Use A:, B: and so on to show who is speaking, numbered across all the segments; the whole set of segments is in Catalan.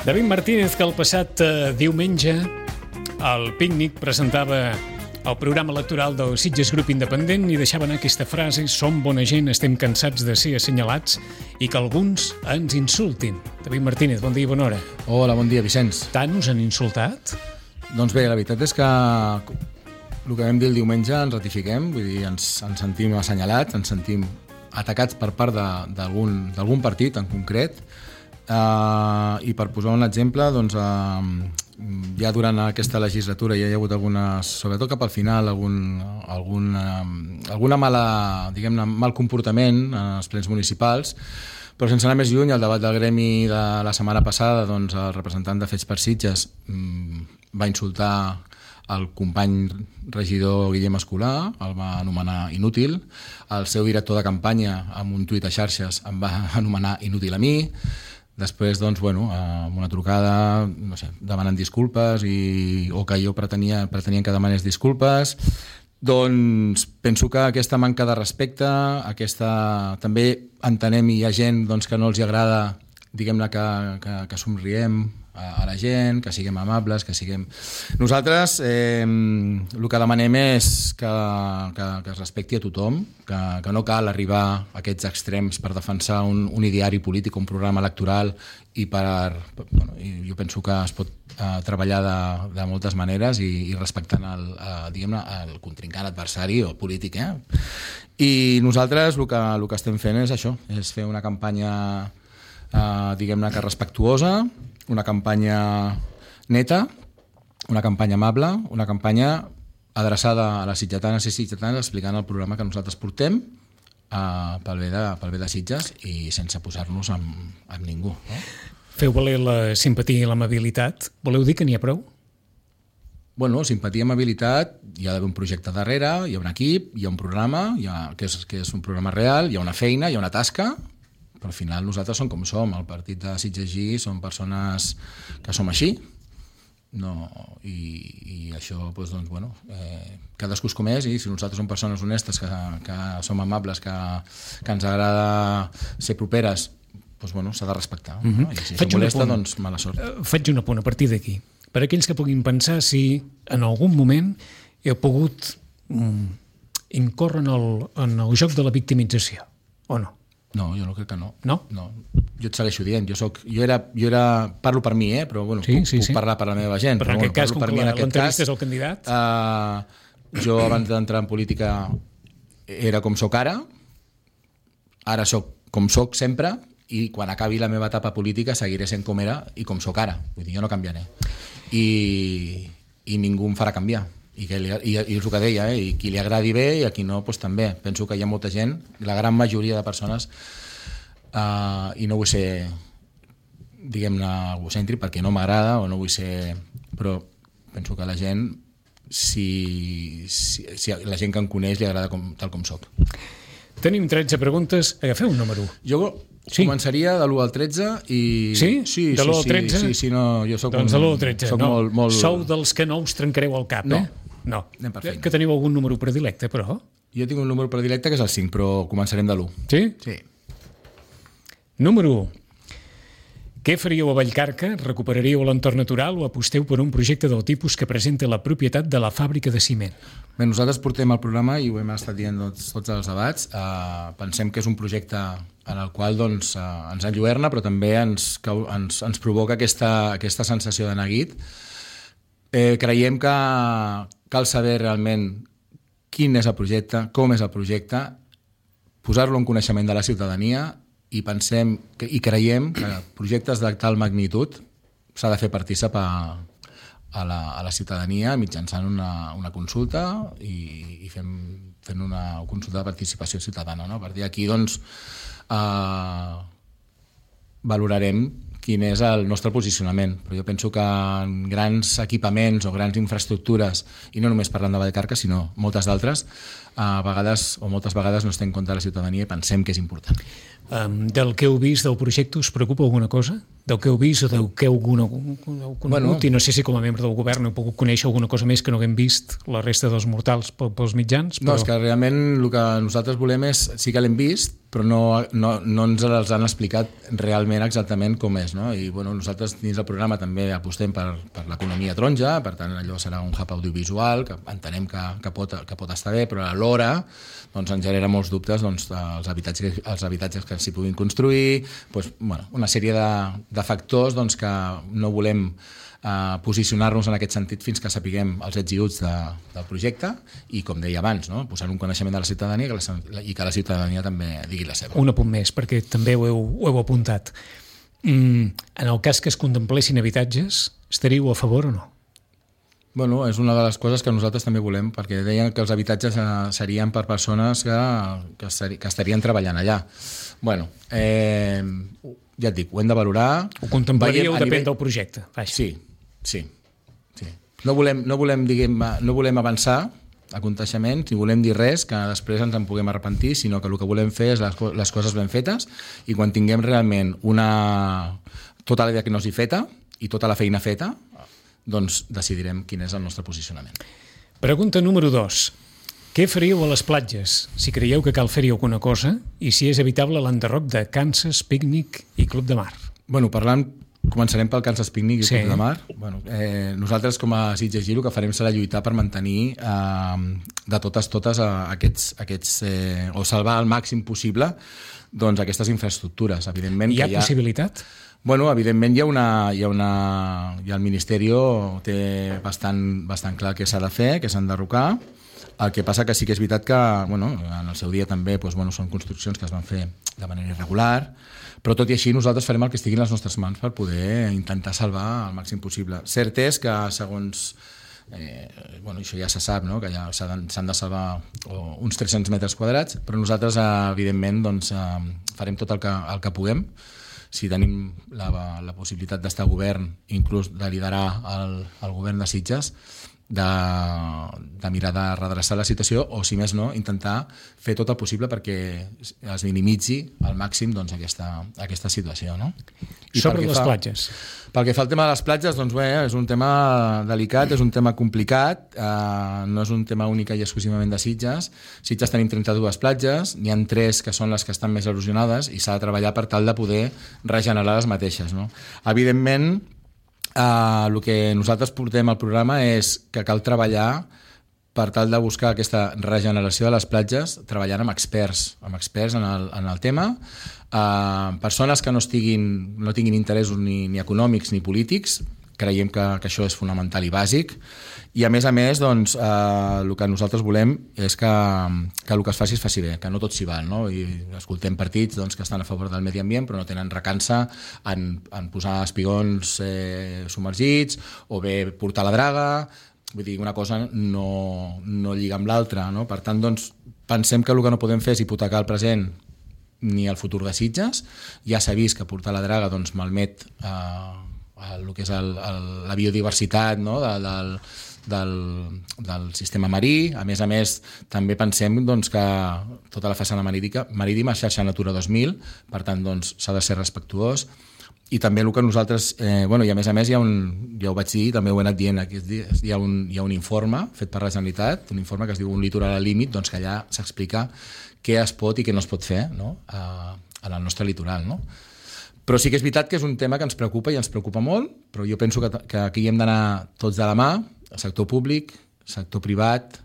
A: David Martínez, que el passat diumenge al Pícnic presentava el programa electoral del Sitges Grup Independent i deixava anar aquesta frase: som bona gent, estem cansats de ser assenyalats i que alguns ens insultin. David Martínez, bon dia i bona hora.
B: Hola, bon dia, Vicenç.
A: Tant us han insultat?
B: Doncs bé, la veritat és que el que vam dir el diumenge ens ratifiquem, vull dir, ens sentim assenyalats, ens sentim atacats per part d'algun partit en concret. I per posar un exemple, doncs, ja durant aquesta legislatura ja hi ha hagut algunes, sobretot cap al final, alguna mala, diguem-ne, mal comportament en els plens municipals, però sense anar més lluny, el debat del gremi de la setmana passada, doncs, el representant de Fets per Sitges va insultar el company regidor Guillem Escolà, el va anomenar inútil, el seu director de campanya amb un tuit a xarxes em va anomenar inútil a mi. Després, doncs, bueno, amb una trucada, no sé, demanant disculpes o que jo pretenien que demanés disculpes. Doncs penso que aquesta manca de respecte, també entenem, i hi ha gent doncs, que no els agrada, diguem-ne, que somriem a la gent, que siguem amables, que siguem... Nosaltres el que demanem és que es respecti a tothom, que no cal arribar a aquests extrems per defensar un ideari polític, un programa electoral, i jo penso que es pot treballar de moltes maneres i respectant el contrincant adversari o polític. I nosaltres el que estem fent és això, és fer una campanya diguem-ne que respectuosa, una campanya neta, una campanya amable, una campanya adreçada a les sitgetanes i sitgetans explicant el programa que nosaltres portem pel bé de Sitges i sense posar-nos amb ningú. No?
A: Feu valer la simpatia i l'amabilitat. Voleu dir que n'hi ha prou?
B: Bueno, simpatia i amabilitat, hi ha d'haver un projecte darrere, hi ha un equip, hi ha un programa, que és un programa real, hi ha una feina, hi ha una tasca, però al final nosaltres som com som, el partit de Sitges G som persones que som així, i això, doncs, bueno, cadascú és com és, i si nosaltres som persones honestes, que som amables, que ens agrada ser properes, doncs, bueno, s'ha de respectar. No? I si això molesta, doncs mala sort.
A: Faig un apunt a partir d'aquí. Per aquells que puguin pensar si en algun moment heu pogut incórrer en el joc de la victimització, o no?
B: No, jo no crec que no.
A: No?
B: No. Jo et segueixo dient. Parlo per mi, però bueno, puc parlar per la meva gent.
A: Però en aquest cas, com que l'entrevista és el candidat...
B: Jo, abans d'entrar en política, era com soc ara soc com soc sempre, i quan acabi la meva etapa política seguiré sent com era i com soc ara. Vull dir, jo no canviaré. I ningú em farà canviar. I és el que deia, i qui li agradi bé i a qui no, doncs també. Penso que hi ha molta gent, la gran majoria de persones, i no vull ser, diguem-ne, egocèntric perquè no m'agrada o no vull ser... Però penso que la gent, si la gent que em coneix li agrada tal com soc.
A: Tenim 13 preguntes, agafeu un número.
B: Jo començaria de l'1 al 13 i...
A: Sí? De l'1 al 13?
B: Sí, no, jo soc
A: doncs de l'1 al 13,
B: soc molt...
A: Sou dels que no us trencareu el cap, No.
B: Anem per feina.
A: Que teniu algun número predilecte, però?
B: Jo tinc un número predilecte que és el 5, però començarem de l'1.
A: Sí?
B: Sí.
A: Número 1. Què faríeu a Vallcarca? Recuperaríeu l'entorn natural o aposteu per un projecte del tipus que presenta la propietat de la fàbrica de ciment?
B: Bé, nosaltres portem el programa i ho hem estat dient tots els debats. Pensem que és un projecte en el qual doncs, ens enlluerna, però també ens provoca aquesta sensació de neguit. Creiem que cal saber realment quin és el projecte, com és el projecte, posar-lo en coneixement de la ciutadania i creiem que projectes de tal magnitud s'ha de fer partícip a la ciutadania mitjançant una consulta i fent una consulta de participació ciutadana. No? A partir d'aquí doncs, valorarem quin és el nostre posicionament. Però jo penso que en grans equipaments o grans infraestructures, i no només parlant de Vallcarca, sinó moltes d'altres, moltes vegades no es té en compte la ciutadania i pensem que és important.
A: Del que heu vist del projecte us preocupa alguna cosa? del que heu vist o del que heu conegut, i no sé si com a membre del govern heu pogut conèixer alguna cosa més que no haguem vist la resta dels mortals pels mitjans.
B: Però... No, és que realment el que nosaltres volem és, sí que l'hem vist, però no ens els han explicat realment exactament com és, no? I nosaltres dins el programa també apostem per l'economia taronja, per tant allò serà un hub audiovisual, que entenem que pot estar bé, però alhora ens genera molts dubtes els habitatges que s'hi puguin construir, una sèrie de factors que no volem posicionar-nos en aquest sentit fins que sapiguem els ets i uts del projecte i, com deia abans, posar un coneixement de la ciutadania i que la ciutadania també digui la seva.
A: Un apunt més, perquè també ho heu apuntat. En el cas que es contemplessin habitatges, estaríeu a favor o no?
B: És una de les coses que nosaltres també volem, perquè deien que els habitatges serien per persones que estarien treballant allà. Ja et dic, ho hem de valorar.
A: Ho contemplaríeu, depèn del projecte.
B: Sí. No volem avançar a contaixements, ni volem dir res que després ens en puguem arrepentir, sinó que el que volem fer és les coses ben fetes, i quan tinguem realment tota la diagnosi feta i tota la feina feta, doncs decidirem quin és el nostre posicionament.
A: Pregunta número 2. Què faríeu a les platges, si creieu que cal fer-hi alguna cosa, i si és evitable l'enderroc de Kansas, Pícnic i Club de Mar?
B: Començarem pel Kansas Pícnic i Club de Mar. Nosaltres, com a Sitges Giro, el que farem serà lluitar per mantenir de totes aquests o salvar al màxim possible aquestes infraestructures.
A: Hi ha possibilitat?
B: Evidentment el Ministeri té bastant clar què s'ha de fer, què s'han d'enderrocar. El que passa que sí que és veritat que en el seu dia també són construccions que es van fer de manera irregular, però tot i així nosaltres farem el que estigui en les nostres mans per poder intentar salvar el màxim possible. Cert és que segons això ja se sap, que ja s'han de salvar uns 300 metres quadrats, però nosaltres evidentment farem tot el que puguem. Si tenim la possibilitat d'estar a govern, inclús de liderar el govern de Sitges, de mirar de redreçar la situació, o si més no, intentar fer tot el possible perquè es minimitzi al màxim aquesta situació.
A: Sobre les platges?
B: Pel que fa al tema de les platges, és un tema delicat, és un tema complicat, no és un tema únic i exclusivament de Sitges. Sitges tenim 32 platges, n'hi ha 3 que són les que estan més erosionades i s'ha de treballar per tal de poder regenerar les mateixes. Evidentment, el que nosaltres portem al programa és que cal treballar per tal de buscar aquesta regeneració de les platges treballant amb experts en el tema, persones que no tinguin interessos ni econòmics ni polítics. Creiem que això és fonamental i bàsic, i a més el que nosaltres volem és que el que es faci bé, que no tot s'hi val, i escoltem partits que estan a favor del medi ambient però no tenen recança en posar espigons submergits o bé portar la draga. Vull dir, una cosa no lliga amb l'altra, per tant pensem que el que no podem fer és hipotecar el present ni el futur de Sitges. Ja s'ha vist que portar la draga malmet el que és la biodiversitat del sistema marí. A més, també pensem que tota la façana marítima és xarxa Natura 2000, per tant s'ha de ser respectuós. I també el que nosaltres, i a més ja ho vaig dir, també ho he anat dient aquests dies, hi ha un informe fet per la Generalitat, un informe que es diu Un litoral al límit, que allà s'explica què es pot i què no es pot fer en el nostre litoral. Però sí que és veritat que és un tema que ens preocupa i ens preocupa molt, però jo penso que aquí hi hem d'anar tots de la mà, el sector públic, el sector privat,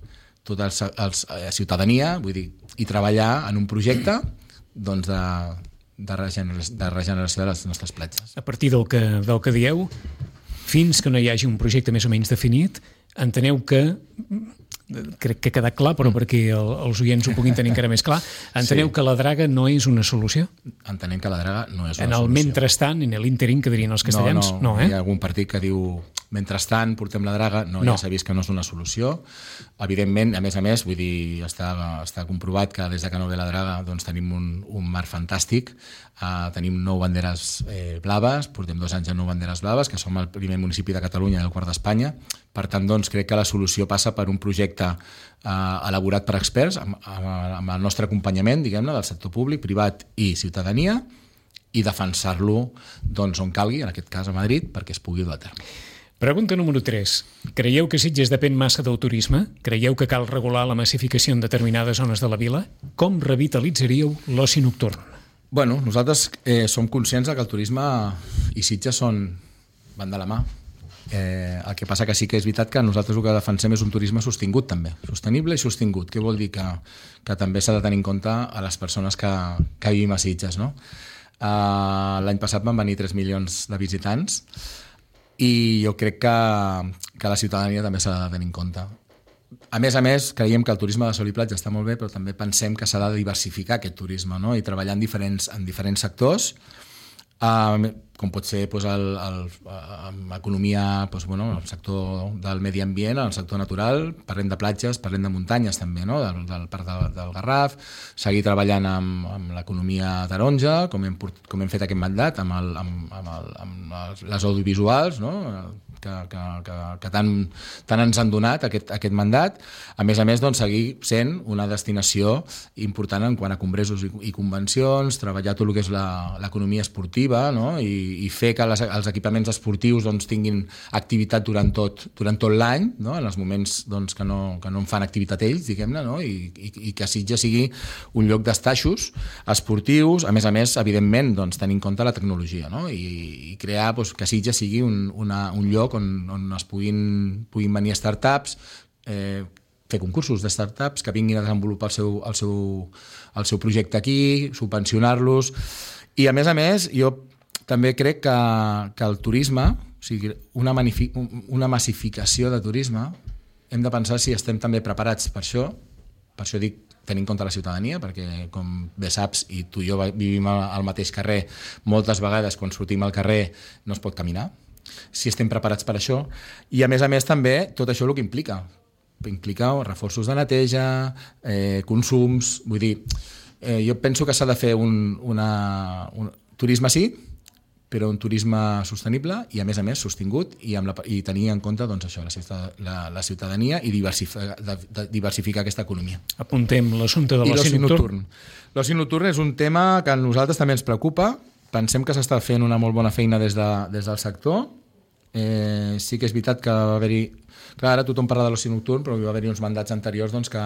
B: tota la ciutadania, vull dir, i treballar en un projecte de regeneració de les nostres platges.
A: A partir del que dieu, fins que no hi hagi un projecte més o menys definit, enteneu que, crec que ha quedat clar, però perquè els oients ho puguin tenir encara més clar, enteneu que la draga no és una solució?
B: Entenem que la draga no és una solució.
A: En el mentrestant, en l'ínterim, que dirien els castellans, no.
B: Hi ha algun partit que diu mentrestant portem la draga, ja s'ha vist que no és una solució. Evidentment, a més, vull dir, està comprovat que des que no ve la draga tenim un mar fantàstic, tenim 9 banderes blaves, portem 2 anys amb 9 banderes blaves, que som el primer municipi de Catalunya i el quart d'Espanya. Per tant, crec que la solució passa per un projecte elaborat per experts, amb el nostre acompanyament, diguem-ne, del sector públic, privat i ciutadania, i defensar-lo doncs, on calgui, en aquest cas a Madrid, perquè es pugui dur a terme.
A: Pregunta número 3. Creieu que Sitges depèn massa del turisme? Creieu que cal regular la massificació en determinades zones de la vila? Com revitalitzaríeu l'oci nocturn?
B: Bueno, nosaltres som conscients que el turisme i Sitges van de la mà. El que passa que sí que és veritat que nosaltres el que defensem és un turisme sostingut també, sostenible i sostingut. Què vol dir? Que també s'ha de tenir en compte a les persones que vivim a Sitges, no? L'any passat van venir 3 milions de visitants i jo crec que la ciutadania també s'ha de tenir en compte. A més, creiem que el turisme de sol i platja està molt bé, però també pensem que s'ha de diversificar aquest turisme, no? I treballar en diferents sectors, com pot ser l'economia, el sector del medi ambient, el sector natural, parlem de platges, parlem de muntanyes també, no? del Parc del Garraf, seguir treballant amb l'economia taronja, com hem fet aquest mandat, amb les audiovisuals, no? que tant ens han donat aquest mandat. A més, doncs, seguir sent una destinació important en quant a congressos i convencions, treballar tot el que és l'economia esportiva, no? I fer que els equipaments esportius doncs, tinguin activitat durant tot l'any, no? En els moments doncs, que no en fan activitat ells, diguem-ne, no? I que Sitges sigui un lloc d'estaixos esportius, a més, evidentment, doncs, tenint en compte la tecnologia, no? I crear que Sitges sigui un lloc on es puguin venir startups, fer concursos de startups que vinguin a desenvolupar el seu projecte aquí, subvencionar-los. I a més, jo també crec que el turisme, o sigui, una massificació de turisme, hem de pensar si estem també preparats per això dic tenint en compte la ciutadania, perquè com bé saps, i tu i jo vivim al mateix carrer, moltes vegades quan sortim al carrer no es pot caminar, si estem preparats per això, i a més també tot això el que implica reforços de neteja, consums, vull dir, jo penso que s'ha de fer un turisme sí, però un turisme sostenible i a més sostingut i tenir en compte doncs, això, la ciutadania i diversificar aquesta economia.
A: Apuntem l'assumpte de l'oci nocturn.
B: L'oci nocturn és un tema que a nosaltres també ens preocupa. Pensem que s'està fent una molt bona feina des del sector. Sí que és veritat que va haver-hi... Clar, ara tothom parla de l'oci nocturn, però va haver-hi uns mandats anteriors doncs, que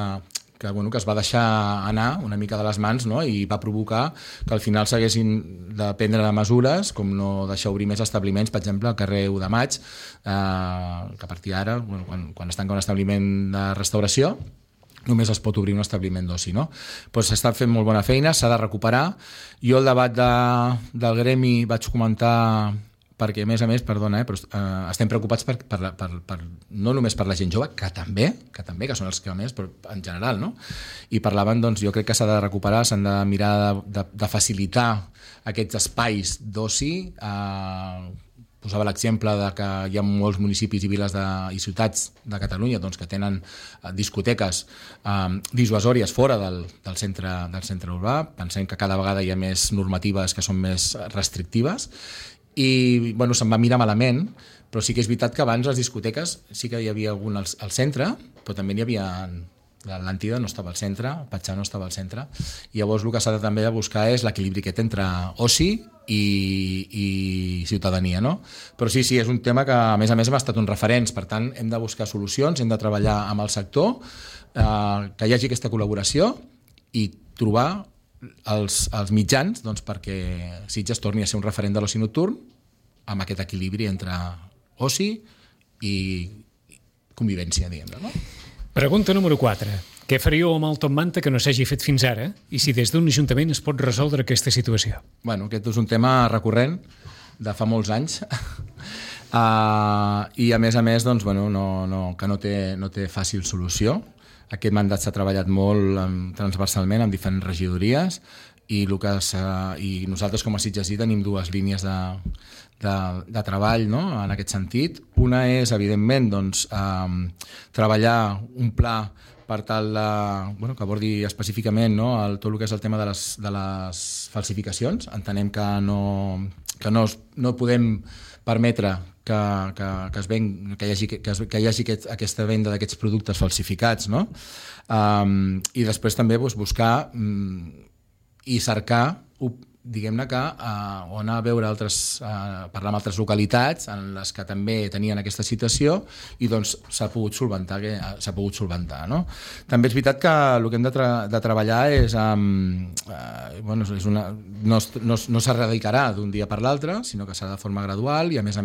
B: es va deixar anar una mica de les mans, no? I va provocar que al final s'haguessin de prendre mesures, com no deixar obrir més establiments, per exemple, al carrer 1 de Maig, que a partir d'ara, quan es tanca un establiment de restauració, només es pot obrir un establiment d'oci, no? Pues s'està fent molt bona feina, s'ha de recuperar. Jo el debat del gremi vaig comentar perquè, a més, perdona, però estem preocupats no només per la gent jove, que també, que són els que més, però en general, no? I parlaven, doncs, jo crec que s'ha de recuperar, s'han de mirar de facilitar aquests espais d'oci. Posava l'exemple de que hi ha molts municipis i viles i ciutats de Catalunya doncs, que tenen discoteques dissuasòries fora del centre urbà. Pensem que cada vegada hi ha més normatives que són més restrictives i se'n va mirar malament, però sí que és veritat que abans les discoteques sí que hi havia algun al centre, però també n'hi havia... L'Atlàntida no estava al centre, el Patxà no estava al centre, i llavors el que s'ha de també buscar és l'equilibri aquest entre oci i ciutadania, no? Però sí, és un tema que a més hem estat uns referents, per tant hem de buscar solucions, hem de treballar amb el sector, que hi hagi aquesta col·laboració i trobar els mitjans doncs, perquè Sitges torni a ser un referent de l'oci nocturn amb aquest equilibri entre oci i convivència, diguem-ne, no?
A: Pregunta número 4. Què faríeu amb el Top Manta que no s'hagi fet fins ara i si des d'un ajuntament es pot resoldre aquesta situació?
B: Aquest és un tema recurrent de fa molts anys i a més doncs, que no té fàcil solució. Aquest mandat s'ha treballat molt transversalment amb diferents regidories i nosaltres com a Sitgesí tenim dues línies de treball, no? En aquest sentit. Una és, evidentment, doncs, treballar un pla per tal que abordi específicament, no? Tot el que és el tema de les falsificacions. Entenem que no podem permetre que hi hagi aquesta venda d'aquests productes falsificats, no? I després també buscar i cercar diguem-ne que o anar a veure parlar amb altres localitats en les que també tenien aquesta situació i doncs s'ha pogut solventar, no? També és veritat que el que hem de treballar és no s'erradicarà d'un dia per l'altre, sinó que serà de forma gradual i a més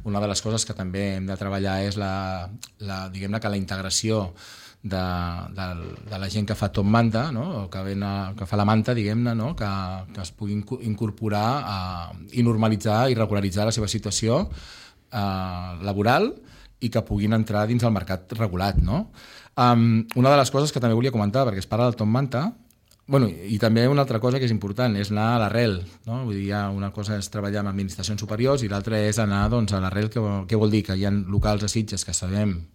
B: una de les coses que també hem de treballar és diguem-ne que la integració de la gent que fa top manta, no? O que fa la manta, diguem-ne, no? Que es pugui incorporar i normalitzar i regularitzar la seva situació laboral i que puguin entrar dins el mercat regulat, no? Una de les coses que també volia comentar, perquè es parla del top manta, i també una altra cosa que és important és anar a l'arrel, no? Vull dir, una cosa és treballar amb administracions superiors i l'altra és anar doncs, a l'arrel, que vol dir que hi ha locals a Sitges que sabem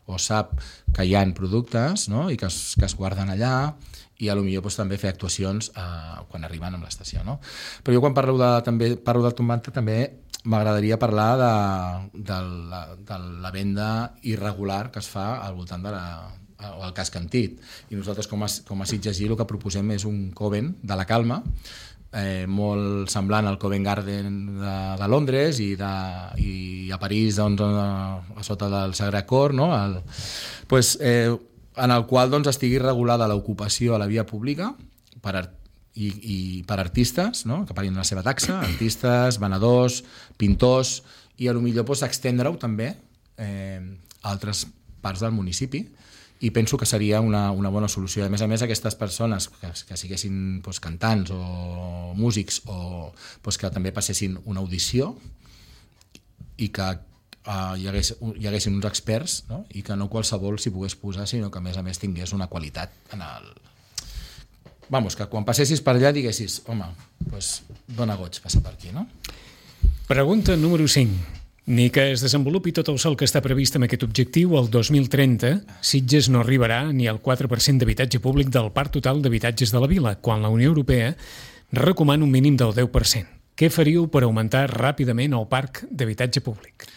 B: o sap que hi ha productes, no? I que es guarden allà i potser doncs, també fer actuacions quan arriben a l'estació, no? Però jo quan parlo del top manta també m'agradaria parlar de la venda irregular que es fa al voltant o al casc Antit. I nosaltres com a Sitges el que proposem és un Covent de la Calma, molt semblant al Covent Garden de Londres i a París doncs, a sota del Sagrat Cor, no? En el qual doncs, estigui regulada l'ocupació a la via pública per artistes, no? Que paguin la seva taxa, artistes, venedors, pintors, i potser doncs, extendre-ho també a altres parts del municipi. I penso que seria una bona solució. A més, aquestes persones que siguessin doncs, cantants o músics o doncs, que també passessin una audició i que hi haguessin uns experts, no? I que no qualsevol s'hi pogués posar, sinó que a més tingués una qualitat en el... que quan passessis per allà diguessis, home, doncs dona goig passar per aquí, no?
A: Pregunta número 5. Ni que es desenvolupi tot el sol que està previst amb aquest objectiu, el 2030 Sitges no arribarà ni al 4% d'habitatge públic del parc total d'habitatges de la vila, quan la Unió Europea recomana un mínim del 10%. Què faríeu per augmentar ràpidament el parc d'habitatge públic?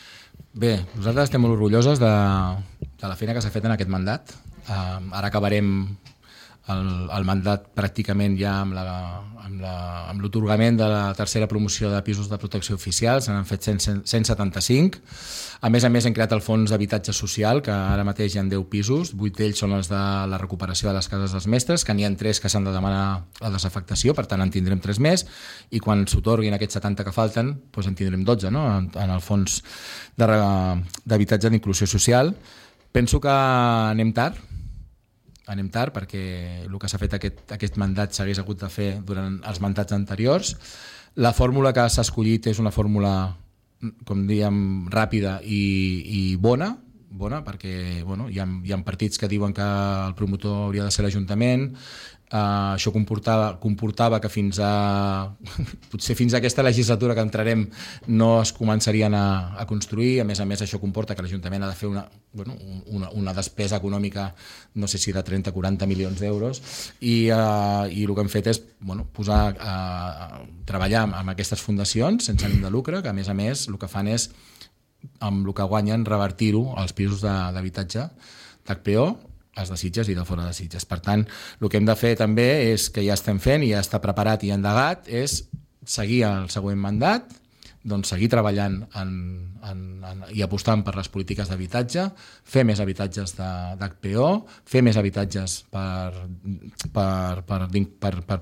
B: Bé, nosaltres estem molt orgulloses de la feina que s'ha fet en aquest mandat. Ara acabarem el mandat pràcticament ja amb l'atorgament de la tercera promoció de pisos de protecció oficial, se n'han fet 175. A més, hem creat el fons d'habitatge social, que ara mateix hi ha 10 pisos, 8 d'ells són els de la recuperació de les cases dels mestres, que n'hi ha 3 que s'han de demanar la desafectació, per tant en tindrem 3 més, i quan s'otorguin aquests 70 que falten, doncs en tindrem 12, no? En el fons d'habitatge d'inclusió social. Penso que anem tard perquè el que s'ha fet aquest mandat s'hagués hagut de fer durant els mandats anteriors. La fórmula que s'ha escollit és una fórmula, com dèiem, ràpida i bona, perquè hi ha partits que diuen que el promotor hauria de ser l'Ajuntament. Això comportava que potser fins a aquesta legislatura que entrarem no es començarien a construir. A més, això comporta que l'Ajuntament ha de fer una despesa econòmica, no sé si de 30 o 40 milions d'euros, i el que hem fet és treballar amb aquestes fundacions sense ànim de lucre, que a més el que fan és, amb el que guanyen, revertir-ho als pisos d'habitatge d'HPO, els de Sitges i de fora de Sitges. Per tant, el que hem de fer també és, que ja estem fent i ja està preparat i endegat, és seguir el següent mandat, doncs seguir treballant i apostant per les polítiques d'habitatge, fer més habitatges d'HPO, fer més habitatges per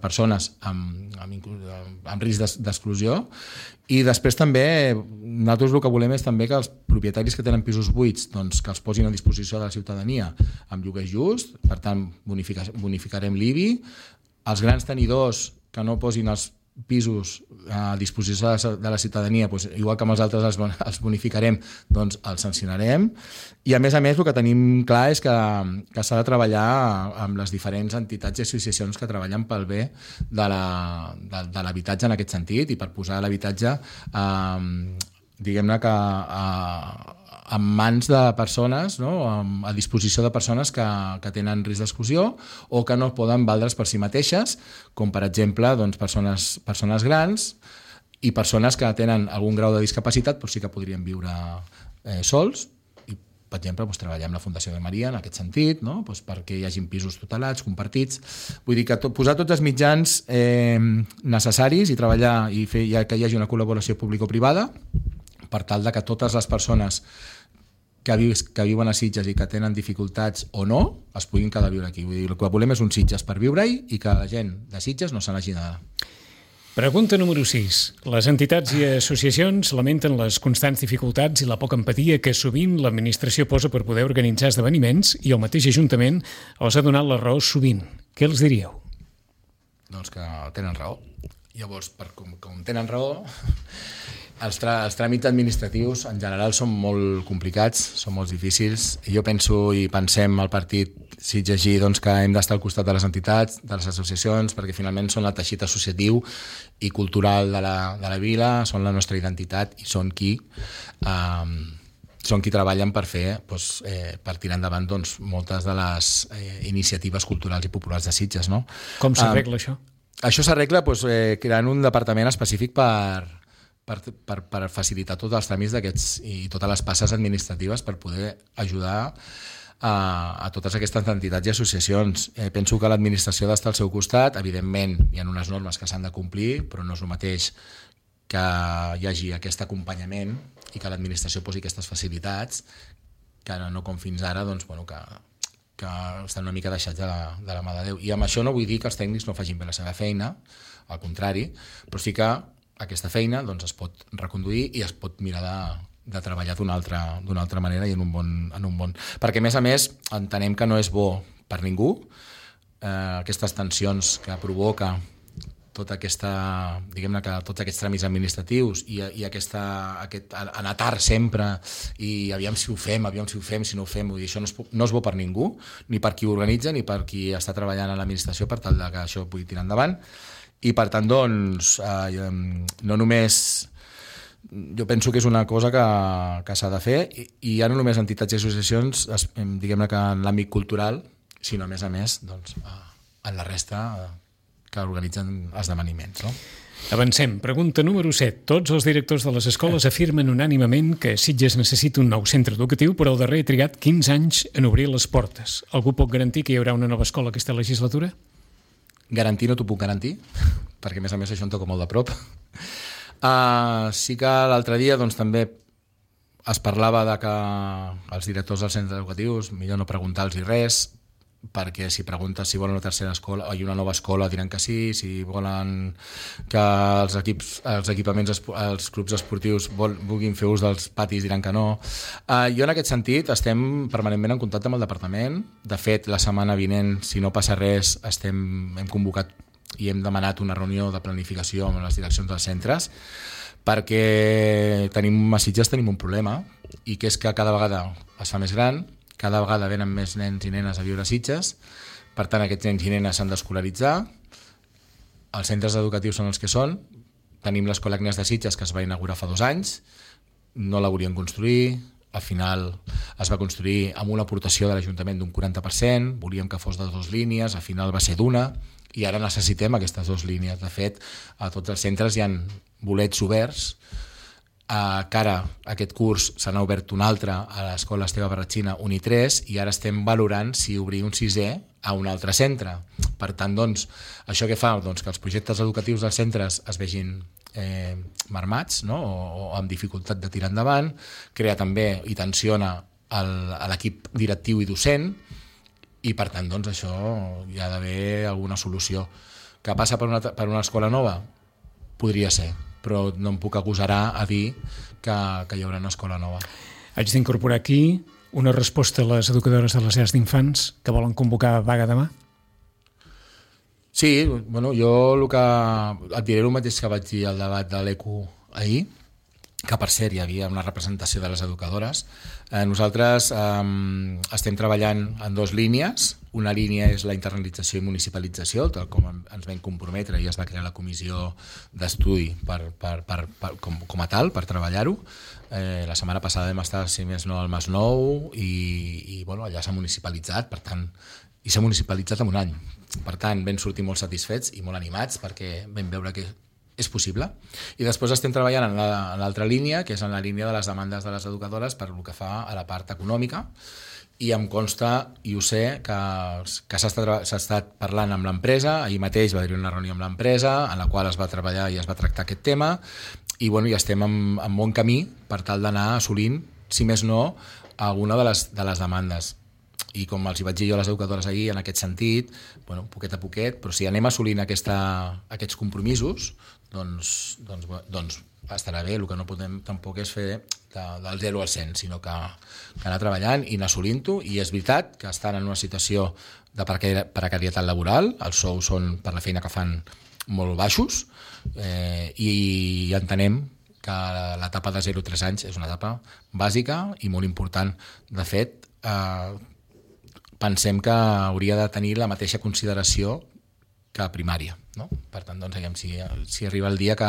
B: persones amb risc d'exclusió, i després també nosaltres el que volem és també que els propietaris que tenen pisos buits doncs, que els posin a disposició de la ciutadania amb lloguer just, per tant bonificarem l'IBI. Els grans tenidors que no posin els pisos a disposició de la ciutadania, doncs, igual que amb els altres els bonificarem, doncs els sancionarem. I a més el que tenim clar és que s'ha de treballar amb les diferents entitats i associacions que treballen pel bé de l'habitatge en aquest sentit, i per posar l'habitatge diguem-ne que en mans de persones, no? A disposició de persones que tenen risc d'exclusió o que no poden valdre's per si mateixes, com per exemple doncs, persones grans i persones que tenen algun grau de discapacitat, però sí que podrien viure sols, i per exemple, treballar amb la Fundació de Maria en aquest sentit, no? Perquè hi hagin pisos tutelats, compartits. Vull dir que posar tots els mitjans necessaris i treballar i fer que hi hagi una col·laboració público-privada per tal de que totes les persones que viuen a Sitges i que tenen dificultats o no, es puguin quedar a viure aquí. Vull dir, el que volem és un Sitges per viure-hi i que la gent de Sitges no se n'hagi d'anar.
A: Pregunta número 6. Les entitats i associacions lamenten les constants dificultats i la poca empatia que sovint l'administració posa per poder organitzar esdeveniments i el mateix Ajuntament els ha donat la raó sovint. Què els diríeu?
B: Doncs que tenen raó. Llavors, com tenen raó, els tràmits administratius en general són molt complicats, són molt difícils. Jo penso i pensem al partit Sitges doncs, que hem d'estar al costat de les entitats, de les associacions, perquè finalment són el teixit associatiu i cultural de la vila, són la nostra identitat i són qui treballen per per tirar endavant moltes de les iniciatives culturals i populars de Sitges. No?
A: Com s'arregla això?
B: Això s'arregla creant un departament específic per facilitar tots els tràmits d'aquests i totes les passes administratives per poder ajudar a totes aquestes entitats i associacions. Penso que l'administració ha d'estar al seu costat. Evidentment, hi ha unes normes que s'han de complir, però no és el mateix que hi hagi aquest acompanyament i que l'administració posi aquestes facilitats, que no com fins ara, que estan una mica deixats de la mà de Déu. I amb això no vull dir que els tècnics no facin bé la seva feina, al contrari, però sí que aquesta feina es pot reconduir i es pot mirar de treballar d'una altra manera i en un bon... Perquè, a més, entenem que no és bo per ningú aquestes tensions que provoca tota aquesta, diguem-ne, que tots aquests tràmits administratius i aquest anar tard sempre i aviam si ho fem, si no ho fem, vull dir, això no és bo per ningú, ni per qui ho organitza ni per qui està treballant a l'administració per tal que això pugui tirar endavant. I per tant, no només... Jo penso que és una cosa que s'ha de fer i ja no només entitats i associacions, diguem-ne que en l'àmbit cultural, sinó a més en la resta que organitzen esdeveniments. No?
A: Avancem. Pregunta número 7. Tots els directors de les escoles afirmen unànimement que Sitges necessita un nou centre educatiu, però el darrer ha trigat 15 anys en obrir les portes. Algú pot garantir que hi haurà una nova escola aquesta legislatura?
B: Garantir no t'ho puc garantir, perquè a més això em toca molt de prop. Sí que l'altre dia també es parlava de que els directors dels centres educatius millor no preguntar-los res, perquè si preguntes si volen una tercera escola o una nova escola diran que sí, si volen que els equipaments, els clubs esportius vulguin fer ús dels patis diran que no. Jo en aquest sentit estem permanentment en contacte amb el departament. De fet, la setmana vinent, si no passa res, hem convocat i hem demanat una reunió de planificació amb les direccions dels centres, perquè a Sitges tenim un problema, i que és que cada vegada es fa més gran, cada vegada venen més nens i nenes a viure a Sitges, per tant aquests nens i nenes s'han d'escolaritzar, els centres educatius són els que són, tenim l'Escola Agnès de Sitges que es va inaugurar fa 2 anys, no la volien construir, al final es va construir amb una aportació de l'Ajuntament d'un 40%, volíem que fos de 2 línies, al final va ser d'1, i ara necessitem aquestes 2 línies. De fet, a tots els centres hi ha bolets oberts, que ara aquest curs se n'ha obert un altre a l'Escola Esteve Barratxina 1 i 3 i ara estem valorant si obrir un 6è a un altre centre. Per tant, això què fa? Que els projectes educatius dels centres es vegin marmats, no? o amb dificultat de tirar endavant, crea també i tensiona l'equip directiu i docent i per tant això hi ha d'haver alguna solució. Que passa per una escola nova? Podria ser, però no em puc agosarar a dir que hi haurà una escola nova.
A: Haig d'incorporar aquí una resposta a les educadores de les llars d'infants que volen convocar vaga demà?
B: Sí, jo et diré el mateix que vaig dir al debat de l'ECU ahir, que per cert hi havia una representació de les educadores. Nosaltres estem treballant en 2 línies. Una línia és la internalització i municipalització, tal com ens vam comprometre i es va crear la comissió d'estudi com a tal, per treballar-ho. La setmana passada vam estar, si més no, al Masnou i allà s'ha municipalitzat, per tant, i s'ha municipalitzat en un any. Per tant, vam sortir molt satisfets i molt animats perquè vam veure que és possible. I després estem treballant en l'altra línia, que és en la línia de les demandes de les educadores per el que fa a la part econòmica, i em consta, i ho sé, que s'ha estat parlant amb l'empresa. Ahir mateix va haver-hi una reunió amb l'empresa en la qual es va treballar i es va tractar aquest tema, i bueno, ja estem en bon camí per tal d'anar assolint, si més no, alguna de les demandes. I com els hi vaig dir jo a les educadores ahir, en aquest sentit, bueno, poquet a poquet, però si anem assolint aquests compromisos, doncs estarà bé. El que no podem tampoc és fer del 0 al 100, sinó que anar treballant i anar assolint-ho. I és veritat que estan en una situació de precarietat laboral, els sous són, per la feina que fan, molt baixos, i entenem que l'etapa de 0 a 3 anys és una etapa bàsica i molt important. De fet, pensem que hauria de tenir la mateixa consideració que primària, no? Per tant, doncs, si arriba el dia que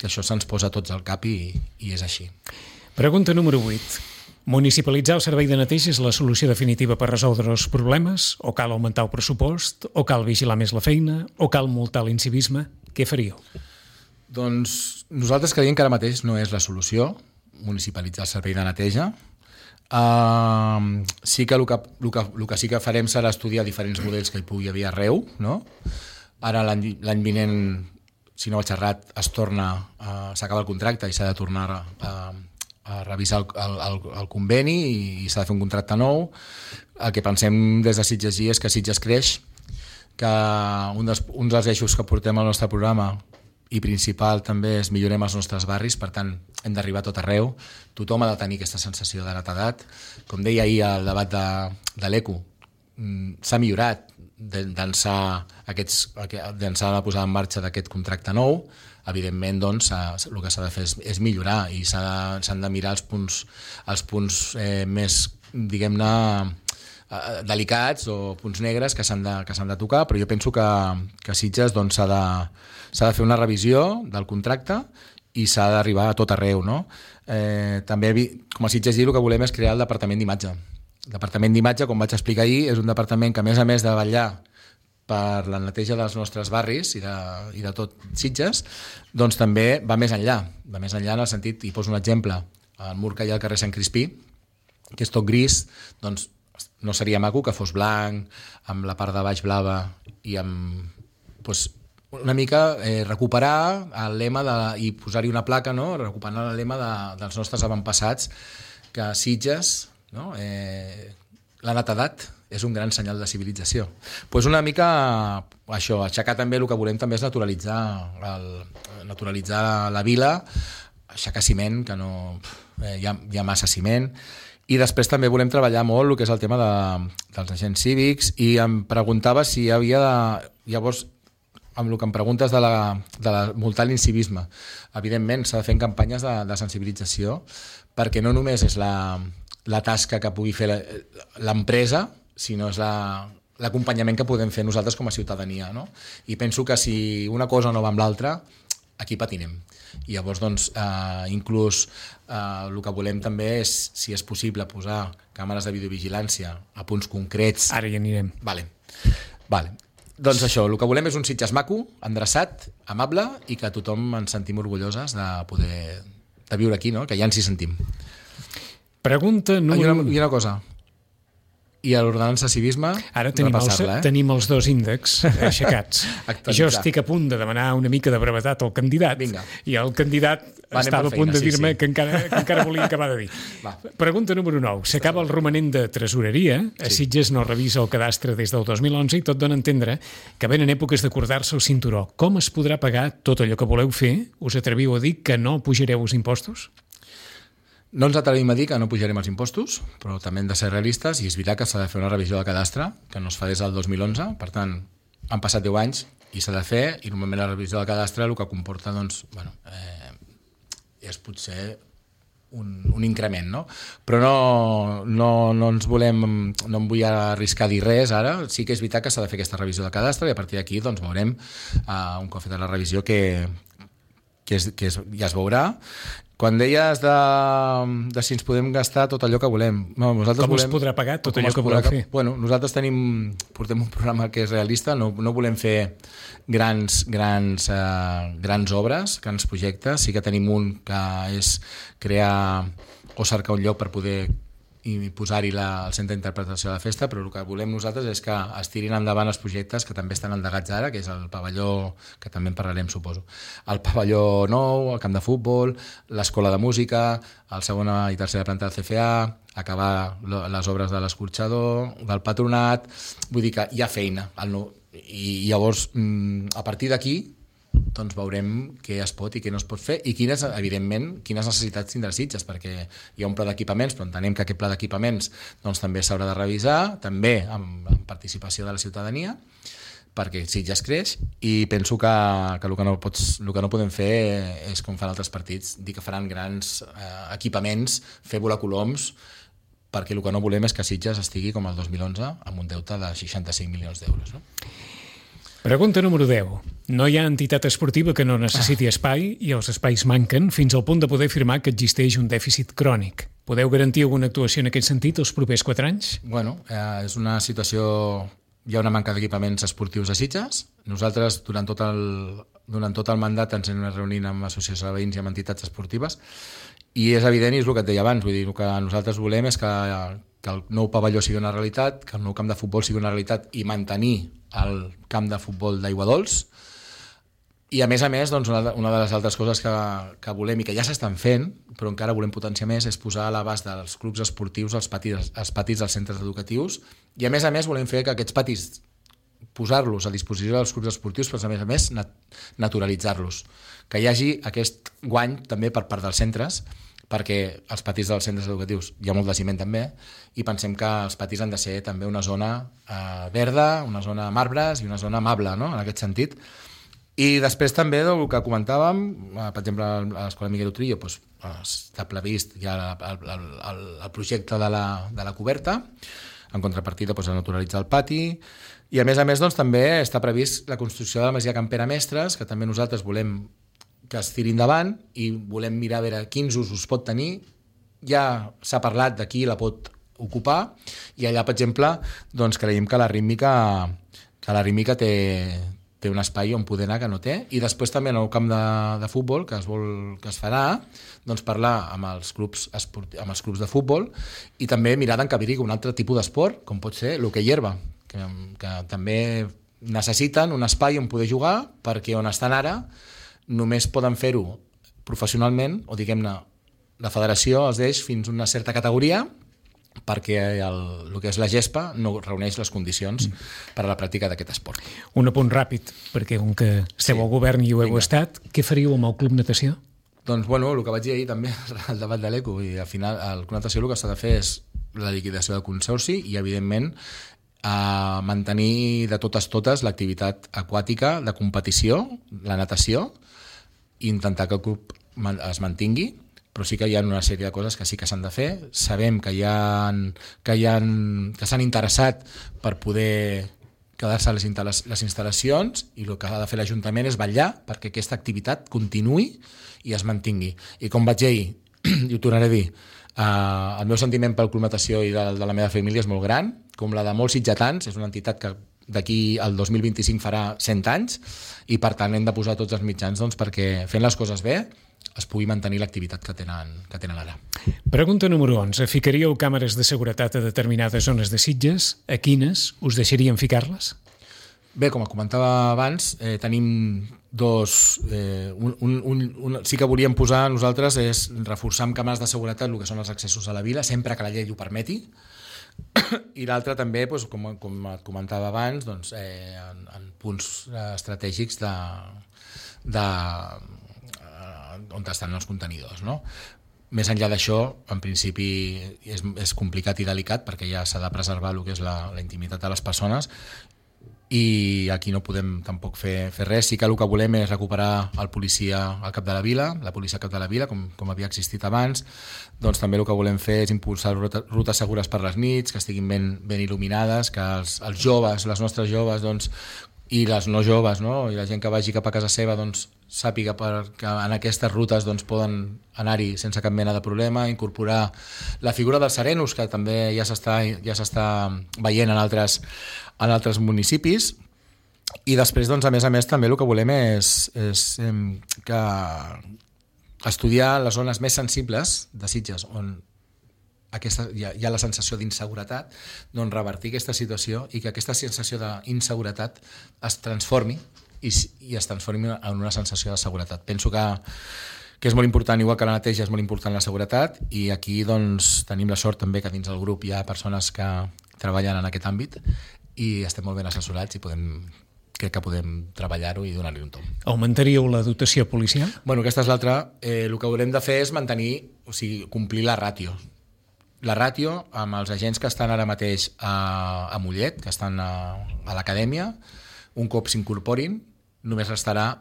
B: això se'ns posa tots al cap i és així.
A: Pregunta número 8. Municipalitzar el servei de neteja és la solució definitiva per resoldre els problemes? O cal augmentar el pressupost? O cal vigilar més la feina? O cal multar l'incivisme? Què faríeu?
B: Doncs nosaltres creiem que ara mateix no és la solució municipalitzar el servei de neteja. Sí que el que sí que farem serà estudiar diferents models que hi pugui haver arreu, no? Ara l'any vinent, si no vaig errat, s'acaba el contracte i s'ha de tornar a revisar el conveni i s'ha de fer un contracte nou. El que pensem des de Sitges és que Sitges creix, que un dels eixos que portem al nostre programa i principal també és millorem els nostres barris, per tant hem d'arribar a tot arreu, tothom ha de tenir aquesta sensació de netedat. Com deia ahir al debat de l'ECO, s'ha millorat d'ençà la posada en marxa d'aquest contracte nou. Evidentment, doncs, el que s'ha de fer és millorar i s'han de mirar els punts més, diguem-ne, delicats o punts negres que s'han de tocar, però jo penso que Sitges doncs, s'ha de fer una revisió del contracte i s'ha d'arribar a tot arreu, no? També, com a Sitges el que volem és crear el departament d'imatge. El departament d'imatge, com vaig explicar ahir, és un departament que, a més de vetllar per la neteja dels nostres barris i de tot Sitges, doncs també va més enllà. Va més enllà en el sentit, i poso un exemple, el mur que hi ha al carrer Sant Crispí, que és tot gris, doncs no seria maco que fos blanc, amb la part de baix blava i amb una mica recuperar el lema i posar-hi una placa, no? Recuperar el lema dels nostres avantpassats, que a Sitges, no? La netedat és un gran senyal de civilització. Pues una mica això, aixecar també el que volem també és naturalitzar la vila, aixecar ciment, que no hi ha massa ciment, i després també volem treballar molt el que és el tema dels agents cívics, i em preguntava si hi havia llavors, amb el que em preguntes de multar l'incivisme, evidentment s'ha de fer campanyes de sensibilització, perquè no només és la tasca que pugui fer l'empresa, sinó és l'acompanyament que podem fer nosaltres com a ciutadania, no? I penso que si una cosa no va amb l'altra, aquí patinem. I llavors, doncs, inclús el que volem també és, si és possible, posar càmeres de videovigilància a punts concrets.
A: Ara hi anirem.
B: Vale. Doncs això, el que volem és un Sitges maco, endreçat, amable, i que tothom ens sentim orgulloses de viure aquí, no? Que ja ens hi sentim.
A: Pregunta número 1.
B: I una cosa, i a l'ordenança civisme
A: ara tenim els dos índexs aixecats. Jo estic a punt de demanar una mica de brevetat al candidat.
B: Vinga.
A: I el candidat estava a punt de dir-me que encara volia acabar de dir. Pregunta número 9. S'acaba el romanent de tresoreria. A Sitges no revisa el cadastre des del 2011 i tot dona a entendre que venen èpoques d'acordar-se el cinturó. Com es podrà pagar tot allò que voleu fer? Us atreviu a dir que no pujareu els impostos?
B: No ens atrevim a dir que no pujarem els impostos, però també hem de ser realistes, i és veritat que s'ha de fer una revisió de cadastre, que no es fa des del 2011, per tant, han passat 10 anys i s'ha de fer, i normalment la revisió de cadastre el que comporta, doncs, és potser un increment, no? Però no ens volem, no em vull arriscar a dir res ara. Sí que és veritat que s'ha de fer aquesta revisió de cadastre, i a partir d'aquí doncs, veurem un cop feta la revisió que ja es veurà, Quan deies de si ens podem gastar tot allò que volem. No,
A: com es podrà pagar tot allò que voleu fer?
B: Bueno, nosaltres portem un programa que és realista, no volem fer grans obres, grans projectes. Sí que tenim un que és crear o cercar un lloc per poder i posar-hi el centre d'interpretació de la festa, però el que volem nosaltres és que es tirin endavant els projectes que també estan endegats ara, que és el pavelló, que també en parlarem, suposo. El pavelló nou, el camp de futbol, l'escola de música, el segona i tercera planta del CFA, acabar les obres de l'escorxador, del patronat. Vull dir que hi ha feina. I llavors, a partir d'aquí, doncs veurem què es pot i què no es pot fer i evidentment, quines necessitats tindrà Sitges, perquè hi ha un pla d'equipaments, però entenem que aquest pla d'equipaments doncs, també s'haurà de revisar, també amb participació de la ciutadania, perquè Sitges creix, i penso que el que no podem fer és, com fan altres partits, dir que faran grans equipaments, fer volar coloms, perquè el que no volem és que Sitges estigui com el 2011 amb un deute de 65 milions d'euros, no?
A: Pregunta número 10. No hi ha entitat esportiva que no necessiti espai i els espais manquen fins al punt de poder afirmar que existeix un dèficit crònic. Podeu garantir alguna actuació en aquest sentit els propers 4 anys?
B: Bueno, és una situació... Hi ha una manca d'equipaments esportius a Sitges. Nosaltres, durant tot el mandat, ens hem reunit amb associacions de veïns i amb entitats esportives i és evident, i és el que et deia abans, vull dir, el que nosaltres volem és que el nou pavelló sigui una realitat, que el nou camp de futbol sigui una realitat i mantenir el camp de futbol d'Aiguadols. I a més, doncs, una de les altres coses que volem i que ja s'estan fent, però encara volem potenciar més, és posar a l'abast dels clubs esportius els patis dels centres educatius, i a més volem fer que aquests patis, posar-los a disposició dels clubs esportius, però a més naturalitzar-los, que hi hagi aquest guany també per part dels centres, perquè els patis dels centres educatius hi ha molt de ciment també, i pensem que els patis han de ser també una zona verda, una zona amb arbres i una zona amable, no?, en aquest sentit. I després també el que comentàvem, per exemple, a l'Escola Miguel Utrillo doncs, està previst ja el projecte de la coberta, en contrapartida doncs, a naturalitzar el pati, i a més doncs, també està previst la construcció de la masia Campera Mestres, que també nosaltres volem que es tiri endavant i volem mirar a veure quins usos pot tenir. Ja s'ha parlat de qui la pot ocupar, i allà, per exemple, doncs, creiem que la rítmica té un espai on poder anar que no té, i després també en el camp de futbol que es farà, doncs parlar amb els clubs de futbol i també mirar d'encabir-hi un altre tipus d'esport, com pot ser l'hoquei herba, que també necessiten un espai on poder jugar, perquè on estan ara només poden fer-ho professionalment, o diguem-ne, la federació els deix fins a una certa categoria, perquè el que és la gespa no reuneix les condicions per a la pràctica d'aquest esport.
A: Un apunt ràpid, perquè com que esteu al govern i ho heu estat, què faríeu amb el Club Natació?
B: Doncs, bueno, el que vaig dir ahir també, el debat de l'ECO, i al final el Club Natació el que s'ha de fer és la liquidació del consorci i, evidentment, mantenir de totes l'activitat aquàtica de competició, la natació, i intentar que el club es mantingui, però sí que hi ha una sèrie de coses que sí que s'han de fer. Sabem que s'han interessat per poder quedar-se a les instal·lacions, i el que ha de fer l'Ajuntament és vetllar perquè aquesta activitat continuï i es mantingui. I com vaig dir ahir, i ho tornaré a dir, el meu sentiment pel Club Natació i de la meva família és molt gran, com la de molts sitgetans. És una entitat que d'aquí al 2025 farà 100 anys, i per tant hem de posar tots els mitjans doncs, perquè fent les coses bé es pugui mantenir l'activitat que tenen ara.
A: Pregunta número 11. Ficaríeu càmeres de seguretat a determinades zones de Sitges? A quines? Us deixarien ficar-les?
B: Bé, com comentava abans, tenim dos... sí que volíem posar nosaltres és reforçar amb càmeres de seguretat el que són els accessos a la vila, sempre que la llei ho permeti, i l'altre també, doncs, com et comentava abans, doncs, en punts estratègics on estan els contenidors, no? Més enllà d'això, en principi és complicat i delicat, perquè ja s'ha de preservar el que és la intimitat de les persones, i aquí no podem tampoc fer res. Sí que el que volem és recuperar el policia al cap de la vila, la policia al cap de la vila, com havia existit abans. Doncs també el que volem fer és impulsar rutes segures per les nits, que estiguin ben il·luminades, que els joves, les nostres joves, doncs, i les no joves, no? I la gent que vagi cap a casa seva doncs, sàpiga que en aquestes rutes doncs, poden anar-hi sense cap mena de problema, incorporar la figura dels serenos, que també ja s'està veient en altres municipis. I després, doncs, a més, també el que volem és que estudiar les zones més sensibles de Sitges, on hi ha la sensació d'inseguretat, doncs revertir aquesta situació i que aquesta sensació d'inseguretat es transformi i es transformi en una sensació de seguretat. Penso que és molt important, igual que la neteja és molt important la seguretat, i aquí doncs, tenim la sort també que dins del grup hi ha persones que treballen en aquest àmbit i estem molt ben assessorats i crec que podem treballar-ho i donar-li un tomb.
A: Augmentaríeu la dotació policial?
B: Bueno, aquesta és l'altra. El que haurem de fer és complir la ràtio. La ràtio amb els agents que estan ara mateix a Mollet, que estan a l'acadèmia, un cop s'incorporin, només restarà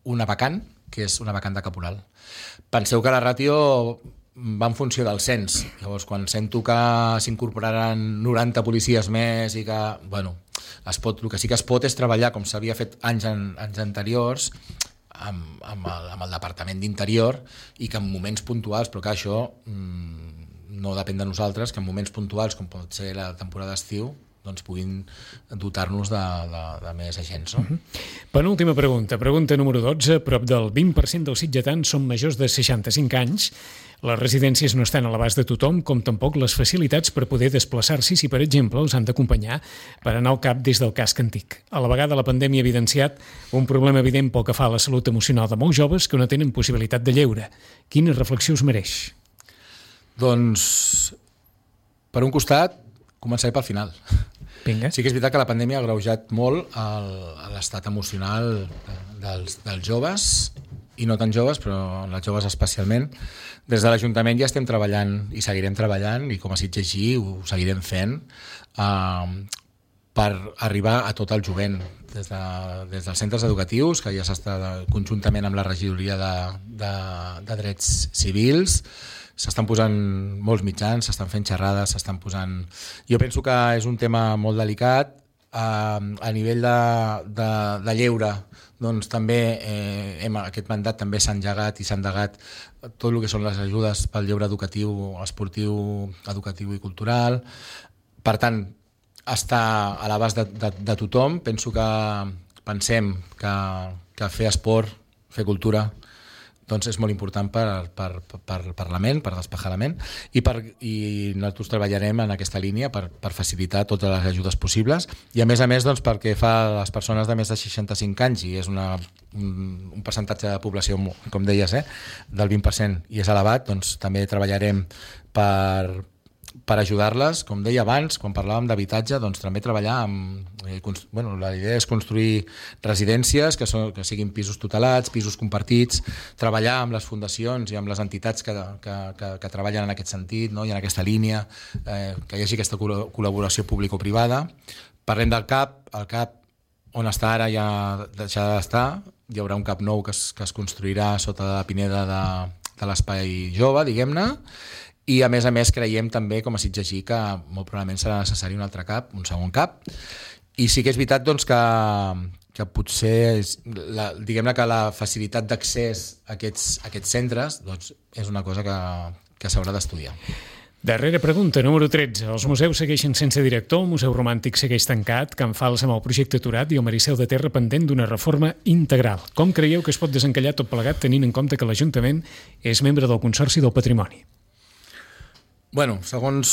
B: una vacant, que és una vacant de caporal. Penseu que la ràtio va en funció del cens. Llavors, quan sento que s'incorporaran 90 policies més i que, bueno, el que sí que es pot és treballar, com s'havia fet anys anteriors, amb el Departament d'Interior, i que en moments puntuals, però que això no depèn de nosaltres, que en moments puntuals, com pot ser la temporada d'estiu, doncs puguin dotar-nos de més agents. No?
A: Penúltima pregunta. Pregunta número 12. Prop del 20% dels sitgetans són majors de 65 anys. Les residències no estan a l'abast de tothom, com tampoc les facilitats per poder desplaçar-s'hi si, per exemple, els han d'acompanyar per anar al CAP des del casc antic. A la vegada, la pandèmia ha evidenciat un problema evident pel que fa a la salut emocional de molts joves que no tenen possibilitat de lleure. Quina reflexió us mereix?
B: Doncs, per un costat, començaré pel final.
A: Vinga.
B: Sí que és veritat que la pandèmia ha agreujat molt l'estat emocional dels joves, i no tan joves, però les joves especialment. Des de l'Ajuntament ja estem treballant i seguirem treballant, i com a Sitges ho seguirem fent, per arribar a tot el jovent, des dels centres educatius, que ja s'està conjuntament amb la regidoria de drets civils. S'estan posant molts mitjans, s'estan fent xerrades, s'estan posant... Jo penso que és un tema molt delicat. A nivell de lleure, doncs també aquest mandat també s'ha engegat i s'ha endegat tot el que són les ajudes pel lleure educatiu, esportiu, educatiu i cultural. Per tant, està a l'abast de tothom. Pensem que fer esport, fer cultura, doncs és molt important per la ment, per despejar la ment, i nosaltres treballarem en aquesta línia per facilitar totes les ajudes possibles, i a més doncs, perquè fa a les persones de més de 65 anys, i és un percentatge de població, com deies, del 20%, i és elevat, doncs també treballarem per ajudar-les. Com deia abans, quan parlàvem d'habitatge, doncs també treballar la idea és construir residències que siguin pisos tutelats, pisos compartits, treballar amb les fundacions i amb les entitats que treballen en aquest sentit, no? I en aquesta línia, que hi hagi aquesta col·laboració público-privada. Parlem del CAP. El CAP, on està ara, ja deixarà d'estar. Hi haurà un CAP nou que es construirà sota la pineda de l'espai jove, diguem-ne. I a més creiem també, com a Sitgesí, que molt probablement serà necessari un altre CAP, un segon CAP. I sí que és veritat doncs, que potser diguem-ne que la facilitat d'accés a aquests centres doncs, és una cosa que s'haurà d'estudiar.
A: Darrera pregunta, número 13. Els museus segueixen sense director, el Museu Romàntic segueix tancat, Can Fals amb el projecte aturat i el Maricel de Terra pendent d'una reforma integral. Com creieu que es pot desencallar tot plegat tenint en compte que l'Ajuntament és membre del Consorci del Patrimoni?
B: Bueno, segons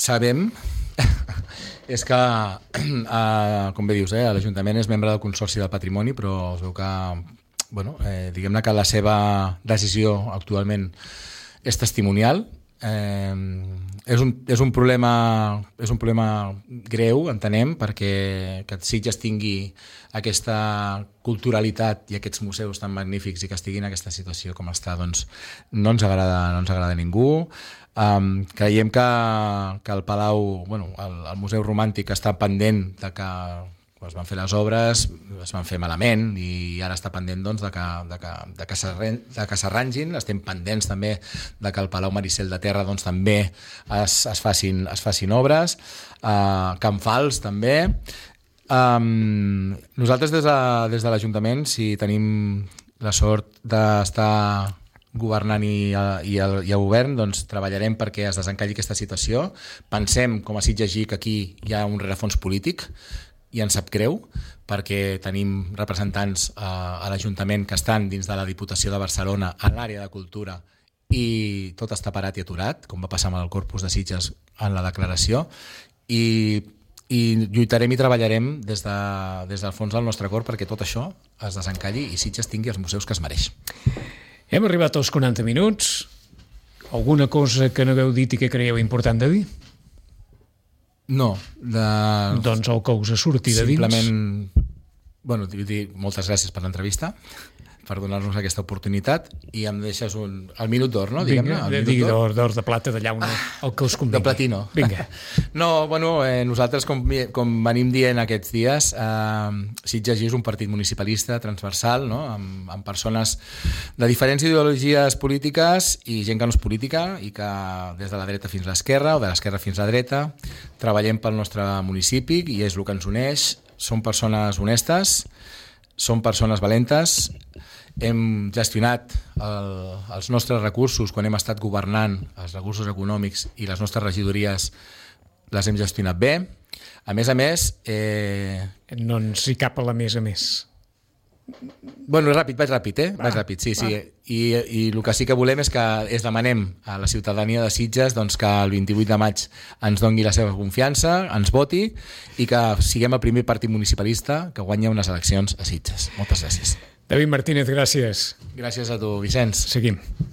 B: sabem, és que, com bé dius, l'Ajuntament és membre del Consorci del Patrimoni, però es veu que, diguem-ne que la seva decisió actualment és testimonial. És un problema greu, entenem, perquè que Sitges tingui aquesta culturalitat i aquests museus tan magnífics i que estiguin en aquesta situació com està, doncs no ens agrada a ningú. Creiem que el Palau, el Museu Romàntic està pendent de que es van fer les obres, es van fer malament i ara està pendent doncs, de que s'arrangin. Estem pendents també de que el Palau Maricel de Terra doncs, també es facin obres. Can Fals també. Nosaltres des de l'Ajuntament, si tenim la sort d'estar governant i al govern, doncs treballarem perquè es desencalli aquesta situació. Pensem, com a Sitges GIC, que aquí hi ha un rerefons polític i ens sap greu perquè tenim representants a l'Ajuntament que estan dins de la Diputació de Barcelona en l'àrea de cultura i tot està parat i aturat, com va passar amb el Corpus de Sitges en la declaració, i lluitarem i treballarem des del fons del nostre cor perquè tot això es desencalli i Sitges tingui els museus que es mereix.
A: Hem arribat als 40 minuts. Alguna cosa que no hagueu dit i que creieu important de dir?
B: No.
A: Doncs el que us surti de dins.
B: Simplement, dir moltes gràcies per l'entrevista, per donar-nos aquesta oportunitat, i em deixes el minut d'or, no?
A: Vinga, digui d'or de plata, de llauna, el que us convingui.
B: De platino.
A: Vinga.
B: No, nosaltres, com venim dient aquests dies, Sitges és un partit municipalista transversal, no? Amb persones de diferents ideologies polítiques i gent que no és política i que des de la dreta fins a l'esquerra o de l'esquerra fins a la dreta treballem pel nostre municipi i és el que ens uneix. Som persones honestes, som persones valentes, hem gestionat els nostres recursos quan hem estat governant, els recursos econòmics i les nostres regidories les hem gestionat bé. A més,
A: no ens hi cap a la més a més.
B: Vaig ràpid, sí. I el que sí que volem és que demanem a la ciutadania de Sitges doncs, que el 28 de maig ens doni la seva confiança, ens voti i que siguem el primer partit municipalista que guanya unes eleccions a Sitges. Moltes gràcies.
A: David Martínez, gràcies.
B: Gràcies a tu, Vicenç.
A: Seguim.